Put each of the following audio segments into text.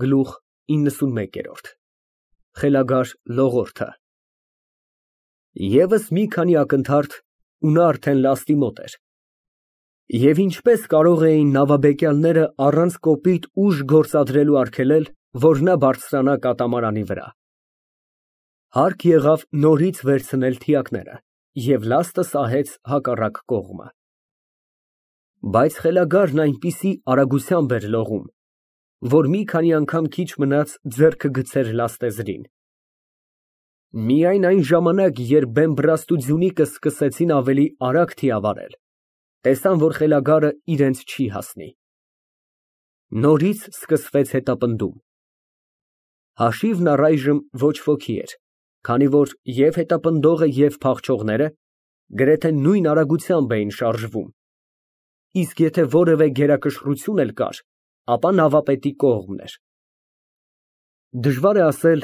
Գլուխ 91 Խելագար լողորդը Եվս մի քանի ակնթարթ, ու նա արդեն լաստի մոտ էր։ Եվ ինչպես կարող էին նավաբեկյալները առանց կոպիտ ուժ գործադրելու արգելել, որ նա բարձրանա կատամարանի վրա։ Հարկ եղավ նորից վերցնել թիակները և լաստը սահեց հակառակ կողմը։ Բայց խելագարն այնպիսի արագությամբ էր լողում, որ մի քանի անգամ քիչ մնաց ձեռքը գցեր լաստեզրին։ Միայն այն ժամանակ, երբ Բեմբռաստու ձյունիկը սկսեցին ավելի արագ թիավարել, տեսան, որ խելագարը իրենց չի հասնի։ Նորից սկսվեց հետապնդում։ Հաշիվն առայժմ ոչ ոքի էր, քանի որ և հետապնդողը, և փախչողները գրեթե նույն արագությամբ էին շարժվում, իսկ եթե որևէ գերակշռություն էլ կար, ապա նավապետի կողմն էր։ Դժվար է ասել,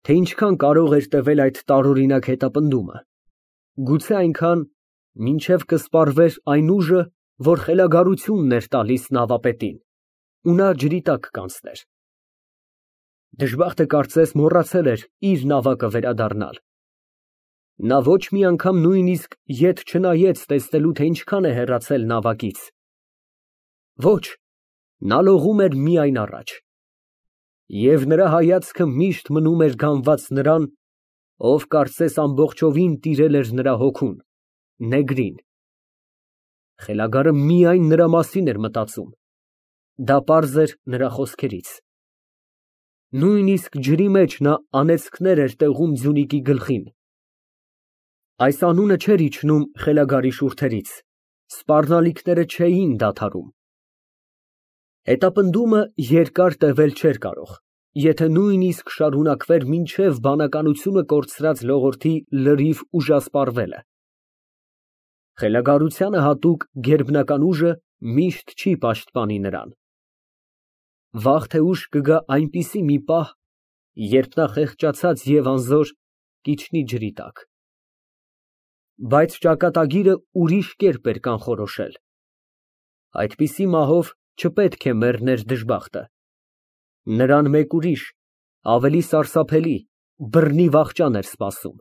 թե ինչքան կարող էր տևել այդ տարօրինակ հետապնդումը, գուցե այնքան, մինչև կսպառվեր այն ուժը, որ խելագարությունն էր տալիս նավապետին, ու նա ջրի տակ կանցներ։ Դժբախտը կարծես մոռացել էր իր նավակը վերադառնալ։ Նա ոչ մի անգամ նույնիսկ ետ չնայեց տեսնելու, թե ինչքան է հեռացել նավակից։ Ոչ, նա լողում էր միայն առաջ։ Եվ նրա հայացքը միշտ մնում էր գանված նրան, ով կարծես ամբողջովին տիրել էր նրա հոգուն, նեգրին։ Խելագարը միայն նրա մասին էր մտածում, դա պարզ էր նրա խոսքերից։ Նույնիսկ ջրի մեջ նա անեծքներ էր տեղում ձյունիկի գլխին։ Այս անունը չէր իջնում խելագարի շուրթերից, սպառնալիքները չէին դադարում։ Հետապնդումը երկար տևել չէր կարող, եթե նույնիսկ շարունակվեր մինչև բանականությունը կորցրած լողորդի լրիվ ուժասպառվելը։ Խելագարությանը հատուկ գերբնական ուժը միշտ չի պաշտպանի նրան։ Վաղ թե ուշ կգա այնպիսի մի պահ, երբ նա խեղճացած և անզոր կիջնի ջրի տակ։ Բայց ճակատագիրը ուրիշ կերպ էր կանխորոշել։ Այդպիսի մահով չպետք է մեռներ դժբախտը։ Նրան մեկ ուրիշ, ավելի սարսափելի, բռնի վախճան էր սպասում։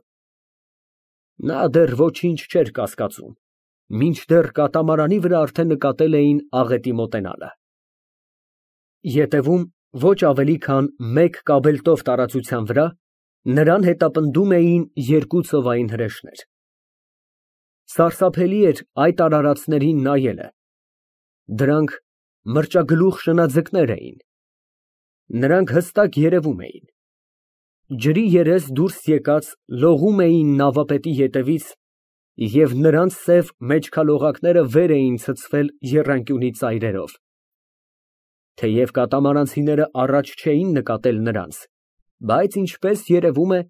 Նա դեռ ոչինչ չէր կասկածում, մինչդեռ կատամարանի վրա արդեն նկատել էին աղետի մոտենալը։ Ետևում, ոչ ավելի քան մեկ կաբելտով տարածության վրա, նրան հետապնդում էին երկու ծովային հրեշներ։ Սարսափելի էր այդ արարածներին նայելը։ Դրանք մրճագլուխ շնաձկներ էին։ Նրանք հստակ երևում էին։ Ջրի երես դուրս եկած լողում էին նավապետի ետևից, և նրանց սև մեջքալողակները վեր էին ցցվել եռանկյունի ծայրերով։ Թեև կատամարանցիները առաջ չէին նկատել նրանց, բայց ինչպես երևում է,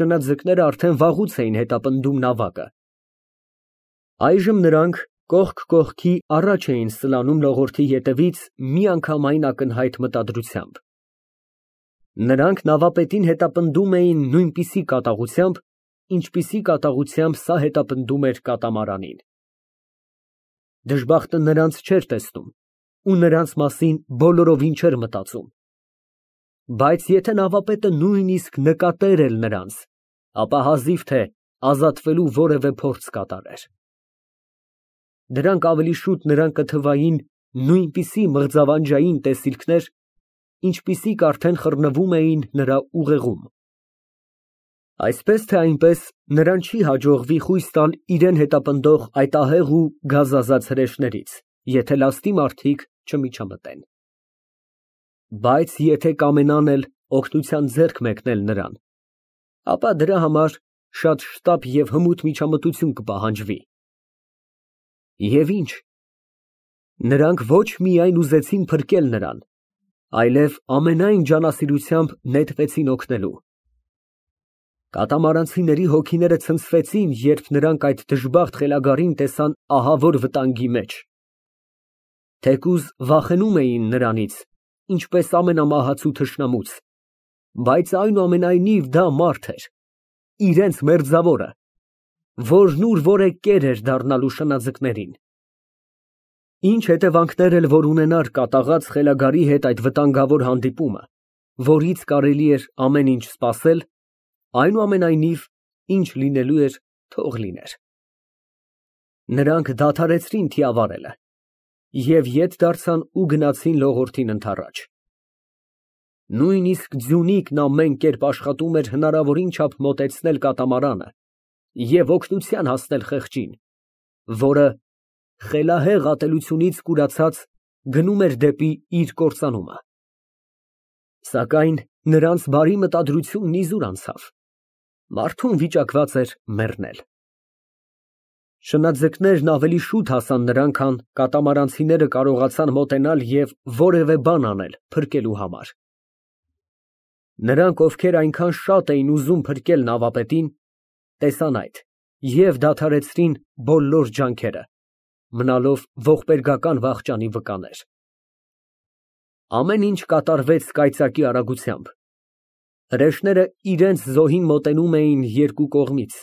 շնաձկները արդեն վաղուց էին հետապնդում նավակը։ Այժմ նրանք կողք կողքի առաջ էին սլանում լողորդի ետևից միանգամայն ակնհայտ մտադրությամբ։ Նրանք նավապետին հետապնդում էին նույնպիսի կատաղությամբ, ինչպիսի կատաղությամբ սա հետապնդում էր կատամարանին։ Դժբախտը նրանց չէր տեսնում ու նրանց մասին բոլորովին չէր մտածում։ Բայց եթե նավապետը նույնիսկ նկատեր էլ նրանց, ապա հազիվ թե ազատվելու որևէ փորձ կատարեր։ Դրանք ավելի շուտ նրան կթվային նույնպիսի մղձավանջային տեսիլքներ, ինչպիսիք արդեն խռնվում էին նրա ուղեղում։ Այսպես թե այնպես նրան չի հաջողվի խույս տալ իրան հետապնդող այդ ահեղ ու գազազած հրեշներից, եթե լաստի մարդիկ չմիջամտեն։ Բայց եթե կամենան էլ օգնության ձեռք մեկնել նրան, ապա դրա համար շատ շտապ և հմուտ միջամտություն կպահանջվի։ Եվ ինչ։ Նրանք ոչ միայն ուզեցին փրկել նրան, այլև ամենայն ջանասիրությամբ նետվեցին օգնելու։ Կատամարանցիների հոգիները ցնցվեցին, երբ նրանք այդ դժբախտ խելագարին տեսան ահավոր վտանգի մեջ։ Թեկուզ վախենում էին նրանից, ինչպես ամենամահացու թշնամուց, բայց այնուամենայնիվ դա մարդ էր, իրենց մերձավորը, որն ուր որ է կեր էր դառնալու շնաձկներին։ Ինչ հետևանքներ էլ որ ունենար կատաղած խելագարի հետ այդ վտանգավոր հանդիպումը, որից կարելի էր ամեն ինչ սպասել, այնուամենայնիվ, ինչ լինելու էր, թող լիներ։ Նրանք դադարեցրին թիավարելը և ետ դարձան ու գնացին լողորդին ընդառաջ։ Նույնիսկ Ձյունիկն ամեն կերպ աշխատում էր հնարավորին չափ մոտեցնել կատամարանը և օգնության հասնել խեղճին, որը, խելահեղ ատելությունից կուրացած, գնում էր դեպի իր կործանումը։ Սակայն նրանց բարի մտադրությունն իզուր անցավ, մարդուն վիճակված էր մեռնել։ Շնաձկներն ավելի շուտ հասան նրան, քան կատամարանցիները կարողացան մոտենալ և որևէ բան անել փրկելու համար։ Նրանք, ովքեր այնքան շատ էին ուզում փրկել նավապետին, տեսան այդ և դադարեցրին բոլոր ջանքերը, մնալով ողբերգական վախճանի վկաներ։ Ամեն ինչ կատարվեց կայծակի արագությամբ։ Հրեշները իրենց զոհին մոտենում էին երկու կողմից,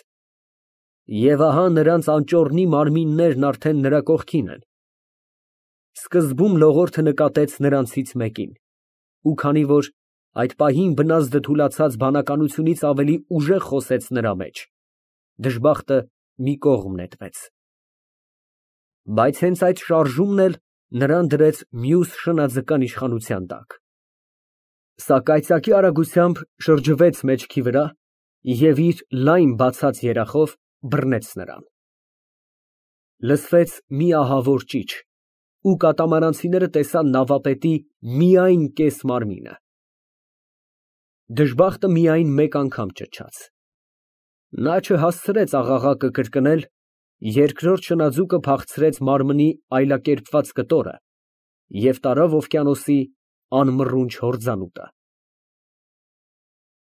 և ահա նրանց անճոռնի մարմիններն արդեն նրա կողքին են։ Սկզբում լողորդը նկատեց նրանցից մեկին, ու քանի որ այդ պահին բնազդը թուլացած բանականությունից ավելի ուժեղ խոսեց նրա մեջ, դժբախտը մի կողմ նետվեց։ Բայց հենց այդ շարժումն էլ նրան դրեց մյուս շնաձկան իշխանության տակ։ Սա կայծակի արագությամբ շրջվեց մեջքի վրա և իր լայն բացած երախով բռնեց նրան։ Լսվեց մի ահավոր ճիչ, ու կատամարանցիները տեսան նավապետի միայն կես մարմինը։ Դժբախտը միայն մեկ անգամ ճչաց։ Նա չհասցրեց աղաղակը կրկնել, երկրորդ շնաձուկը փախցրեց մարմնի այլակերպված կտորը և տարավ օվկիանոսի անմռունչ հորձանուտը։